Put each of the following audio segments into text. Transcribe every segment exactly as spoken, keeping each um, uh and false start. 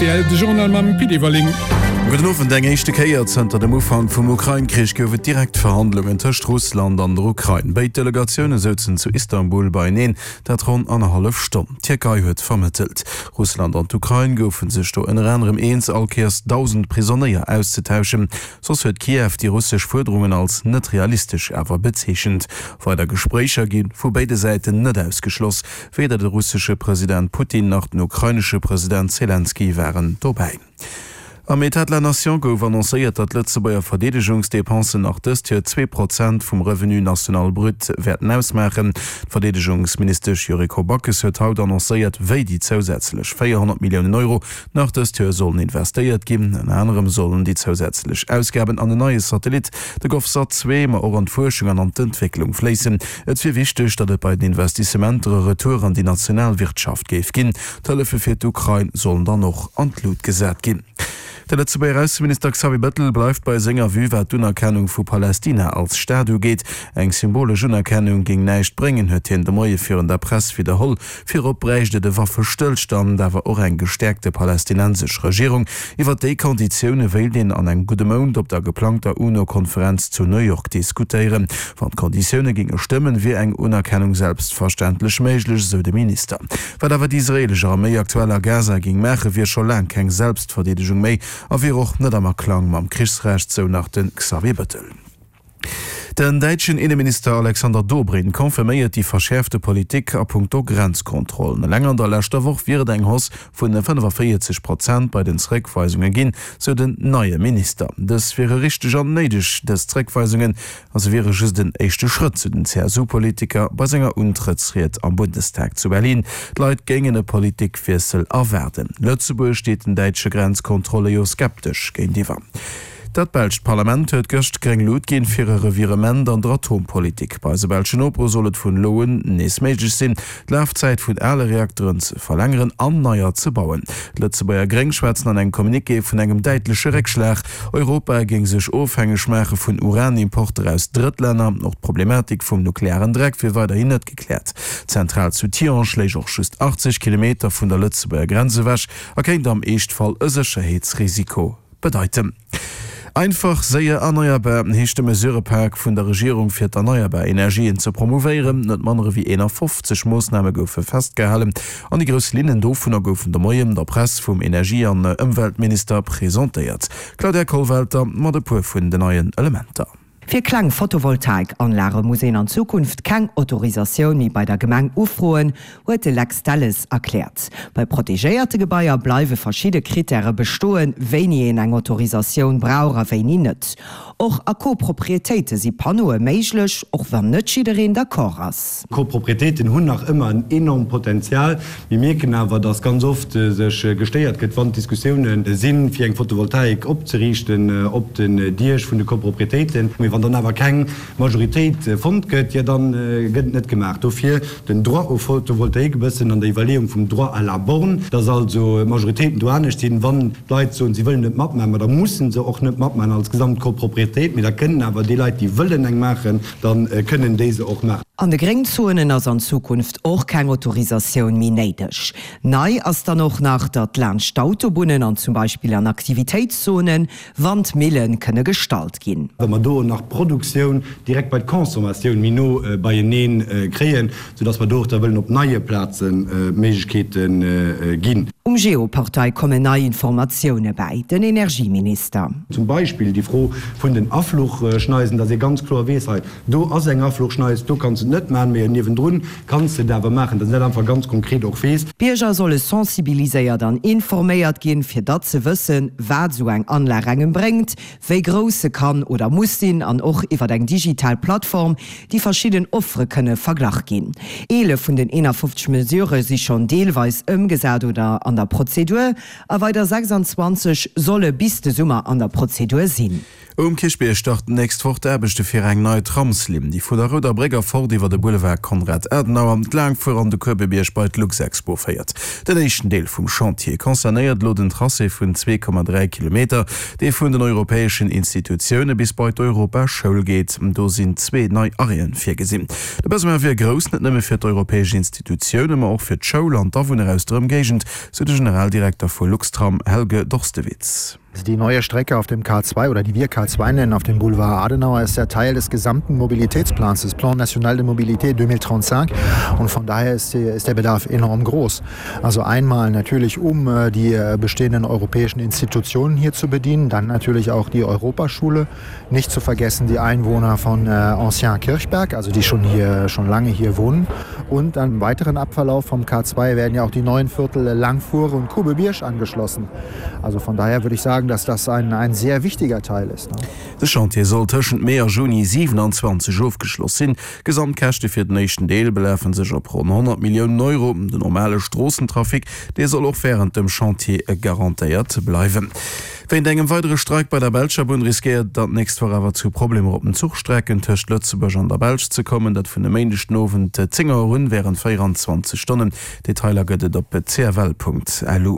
rtl, de Journal mam Pit Everling. Gudden Owend, Eng éischte Kéier zënter dem Ufank vum Ukrain-Krich gouf et direkt Verhandlungen tëscht Russland an der Ukrain. Béid Delegatioune souzen zu Istanbul beieneen, dat ronn annerhallef Stonn. D'Tierkei huet vermëttelt. Russland an d'Ukrain goufe sech do ënner anerem eens, all Kéiers dausend Prisonéier auszetauschen. Soss huet Kiew déi russesch Fuerderungen als net realistesch awer bezeechent. Weider Gespréicher gi vu béide Säiten net ausgeschloss. Weder de russesche President Putin nach den ukrainesche President Selenskyj waren dobäi. Am État de la Nation gouf annoncéiert, datt d'Lëtzebuerger Verdeedegungsdepensen nach dëst Joer zwee Prozent vum Revenu national brut wäerten ausmaachen. D'Verdeedegungsministesch Yuriko Backes huet haut annoncéiert, wéi déi zousätzlech véierhonnert Milliounen Euro nach dëst Joer sollen investéiert ginn. Ënner anerem sollen déi zousätzlech Ausgaben an en neie Satellit, de GovSat zwee, ma och an d'Fuerschung an an d'Entwécklung fléissen. Et wier wichteg, datt et bei den Investissementer e Retour an déi national Wirtschaft géif ginn. D'Hëllefe fir d'Ukrain sollen dann och an d'Lut gesat ginn. De Lëtzebuerger Ausseminister Xavier Bettel bleift bei senger Vue, wat d'Unerkennung vu Palästina als Staat ugeet. Eng symbolesch Unerkennung géing näischt bréngen, huet hien de Moie virun der Press widderholl. Virop bräicht et e Waffestëllstand, awer och eng gestäerkte palästinensesch Regierung. Iwwer déi Konditioune wéilt een an engem gudde Mount op der geplangter UNO-Konferenz zu New York diskutéieren. Wann d'Konditioune géinge stëmmen, wier eng Unerkennung selbstverständlech méiglech, esou de Minister. Wat awer déi israeelesch Arméi aktuell a Gaza géing maachen, wier scho laang keng Selbstverdeedegung méi a wier och net am Aklang mam Krichsrecht, sou nach de Xavier Bettel. Den däitschen Inneminister Alexander Dobrindt confirméiert déi verschäerfte Politik a punkto Grenzkontrollen. Eleng an der leschter Woch wier et eng Hausse vun fënnefaféierzeg Prozent bei den Zeréckweisunge ginn, sou den neie Minister. Dës wiere richteg an néideg, dës Zeréckweisungen, a se wiere just en éischte Schrëtt, sou den C S U-Politiker bei senger Untrëttsried am Bundestag zu Berlin. D'Leit géingen e Politikwiessel erwaarden. Lëtzebuerg steet den däitsche Grenzkontrolle jo skeptesch géintiwwer. Dat belscht Parlament huet gëscht gréng Lut ginn fir e Revirement an der Atompolitik. Bei eise belschen Nopere soll et vun elo un nees méiglech sinn, d'Lafzäit vun ale Reakteren ze verlängeren an neier ze bauen. D'Lëtzebuerger Gréng schwätzen an engem Communiqué vun engem däitleche Réckschlag. Europa géing sech ofhängeg maache vun Uranimporter aus Drëttlänner. Och d'Problematik vum nuklearen Dreck wier weiderhin net gekläert. D'Zentral zu Tihange léich och just achtzeg Kilometer vun der Lëtzebuerger Grenz ewech a kéint am Eeschtfall e Sécherheetsrisiko bedeiten. Einfach, séier, erneierbar heescht de Mesurëpak vun der Regierung fir d'erneierbar Energien ze promouvéieren. Net manner ewéi eenafofzeg Moossname goufe festgehalen an déi grouss Linnen dovunner goufen de Moien der Press vum Energie an Ëmweltminister presentéiert. Claudia Kollwelter mat e puer vun den neien Elementer. Fir kleng Photovoltaikanlage muss een an Zukunft keng Autorisatioun méi bei der Gemeng ufroen, huet de Lex Delles erkläert. Bei protegéierte Gebaier bleiwe verschidde Krittäre bestoen, wéini een eng Autorisatioun brauch a wéini net. Och a Coproprietéite si Panneaue méiglech, och wann net jiddereen d'accord ass. Coproprietéiten hunn nach ëmmer en enormt Potenzial. Mir mierken awer, dass ganz oft sech gestéiert gëtt, wann Diskussiounen sinn, fir eng Photovoltaik opzeriichten op den Diech vun de Coproprietéiten. Mee wann dann awer keng Majoritéit fonnt gëtt, jo da gëtt et net gemaach. Dofir den Droit au photovoltaïque e bëssen an der Iwwerleeung vum Droit à la borne, dass also d'Majoritéiten do anescht sinn. Wann d'Leit soen, si wëllen net matmaachen, ma da mussen se och net matmaachen als gesamt Copropriétéit, mee da kënnen awer déi Leit, déi wëllen eng maachen, da kënnen déi se och maachen. An de Gréngzonen ass an Zukunft och keng Autorisatioun méi néideg. Nei ass dann och nach, datt laanscht d'Autobunnen an zum Beispill an Aktivitéitszonen Wandmille kënne gestallt ginn. Wa mer do nach d'Produktioun direkt bei d'Consommatioun méi no beienee kréien, soudass mer do och da wëllen op neie Plaze Méiglechkeete ginn. Um Geoportail kommen nei Informatioune bäi, den Energieminister. Zum Beispill déi Fro vun den Afluchschneisen, dass ee ganz kloer weess, hei do ass eng Afluchschneis, do kanns de et net maachen, mee niewendrun kanns de et awer maachen, dass een dat einfach ganz konkret och weess. D'Bierger solle sensibiliséiert an informéiert ginn, fir datt se wëssen, wat esou eng Anlag engem bréngt, wéi grouss se kann oder muss sinn an och iwwer eng digital Plattform déi verschidden Offere kënne verglach ginn. Eelef vun den eenafofzeg Mesurë si schonn deelweis ëmgesat oder an der Prozedur a weider sechsanzwanzeg solle bis de Summer an der Prozedur sinn. Um Kierchbierg starten d'nächst Woch d'Aarbechte fir eng nei Tramslinn, déi vu der Rouder Bréck erfort iwwer de Boulevard Konrad Adenauer, d'Laangfuer an de Kuebebierg bei d'Luxexpo féiert. Den éischten Deel vum Chantier concernéiert elo den Tracé vun zwee Komma dräi Kilometer, dee vun den europäeschen Institutioune bis bei d'Europaschoul geet. Do sinn zwee nei Arrêten virgesinn. De Besoin wier grouss, net nëmme fir d'europäesch Institutioune, ma och fir d'Schoul an d'Awunner aus der Ëmgéigend, sou de Generaldirekter vu Luxtram Helge Dorstewitz. Die neue Strecke auf dem K zwei oder die wir K zwei nennen auf dem Boulevard Adenauer ist ja Teil des gesamten Mobilitätsplans, des Plan national de mobilité deux mille trente-cinq und von daher ist, die, ist der Bedarf enorm groß. Also einmal natürlich, um die bestehenden europäischen Institutionen hier zu bedienen, dann natürlich auch die Europaschule, nicht zu vergessen die Einwohner von Ancien Kirchberg, also die schon hier, schon lange hier wohnen. Und dann im weiteren Abverlauf vom K zwei werden ja auch die neuen Viertel Langfuhre und Kubebirsch angeschlossen. Also von daher würde ich sagen, dass das ein, ein sehr wichtiger Teil ist. Ne? De Chantier soll tëschent Mee a Juni siewenanzwanzeg ofgeschloss sinn. D'Gesamtkäschte fir den éischten Deel belafen sech op ronn honnert Milliounen Euro. Den normale Stroossentrafic, dee soll och wärend dem Chantier garantéiert bleiwen. Wéint engem weidere Streik bei der belscher Bunn riskéiert et dann d'nächst Woch awer zu Problemer op den Zuchstrecken tëscht Lëtzebuerg an der Belsch ze kommen. Dat vun e Méindeg den Owend zéng Auer un wärend véieranzwanzeg Stonnen. Detailer gëtt et op cfl.lu.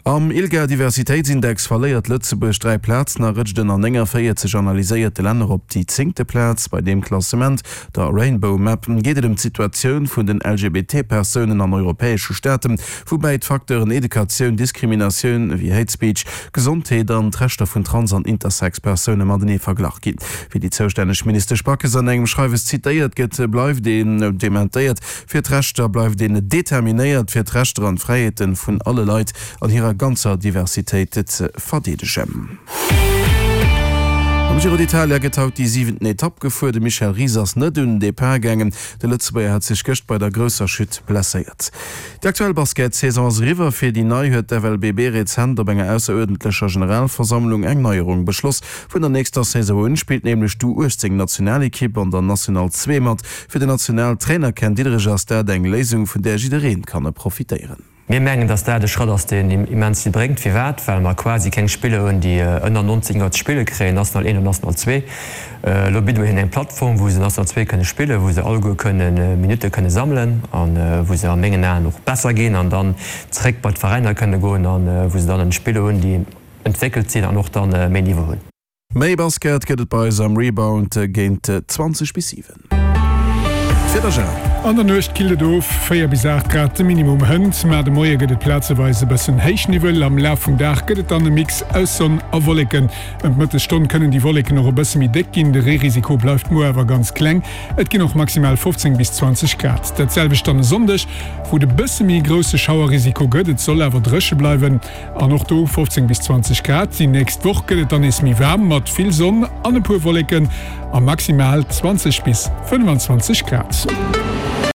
Am ILGA-Diversitéitsindex verléiert Lëtzebuerg dräi Plazen a rëtscht ënner nénganvéierzeg analyséierte Länner op déi zéngte Plaz. Bei deem Klassement, der Rainbow Map, geet et ëm d'Situatioun vun den L G B T Persounen an europäesche Staaten, woubäi d'Facteuren Educatioun, Diskriminatioun ewéi Hate Speech, Gesondheet an d'Rechter vun Trans an Intersex-Persoune matenee verglach ginn. Wéi déi zoustänneg Ministesch Backes an engem Schreiwes zitéiert gëtt, bleift een dementéiert fir d'Rechter bleift een determinéiert fir d'Rechter an d'Fräiheete vun alle Leit an hirer ganzer Diversitéit ze verdeedegen. Am Giro d'Italia gëtt haut déi siwenten Etapp gefuer. De Michel Ries ass net un den Depart gaangen. De Lëtzebuerger hat sech gëscht bei der grousser Chute blesséiert. Déi aktuell Basketsaison ass eriwwer. Fir déi nei huet d'F L B B rezent op enger ausseruerdentlecher Generalversammlung eng Neierung beschloss. Vun der nächster Saison un spillt nämlech d'U uechtzéng Nationalekipp an der National zwee mat. Fir den Nationaltrainer Ken Diederich ass dat eng Léisung, vun där jiddereen kann profitéieren. Mir mengen, dass dat e Schratt ass, deen immens vill bréngt. Firwat? Well mer quasi keng Spiller hunn, déi ënner neunzéng Joer ze spille kréien, National eent an National zwee. Elo bidde mer hinnen eng Plattform, wou se National zwee kënne spillen, wou se alleguer kënne Minutte kënne sammelen a wou se a mengen Aen och besser ginn an dann zréck bei d'Veräiner kënne goen a wou se dann en Spiller hunn, déi entwéckelt sinn an och dann méi Niveau hunn. Méi Basket gëtt et bei eis am Rebound géint zwanzeg bis siwen. D'Wieder, Gérard. An der Nuecht killt et of, véier bis aacht Grad de Minimum hënt, ma de Moie gëtt et plazeweis e bëssen Héichniwwel. Am Laf vum Dag gëtt et dann e Mix aus Sonn a Wolleken. Ëm d'Mëttesstonn kënnen déi Wolleken och e bësse méi déck ginn, de Reerisiko bleift muer awer ganz kleng. Et ginn och maximal fofzéng bis zwanzeg Grad. Dat selwecht dann e Sonndeg, wou et e bësse méi grousse Schauerrisiko gëtt, et soll awer dréche bleiwen an och do fofzéng bis zwanzeg Grad. Déi nächst Woch gëtt et dann nees méi waarm mat vill Sonn an e puer Wolleken a maximal zwanzeg bis fënnefenzwanzeg Grad.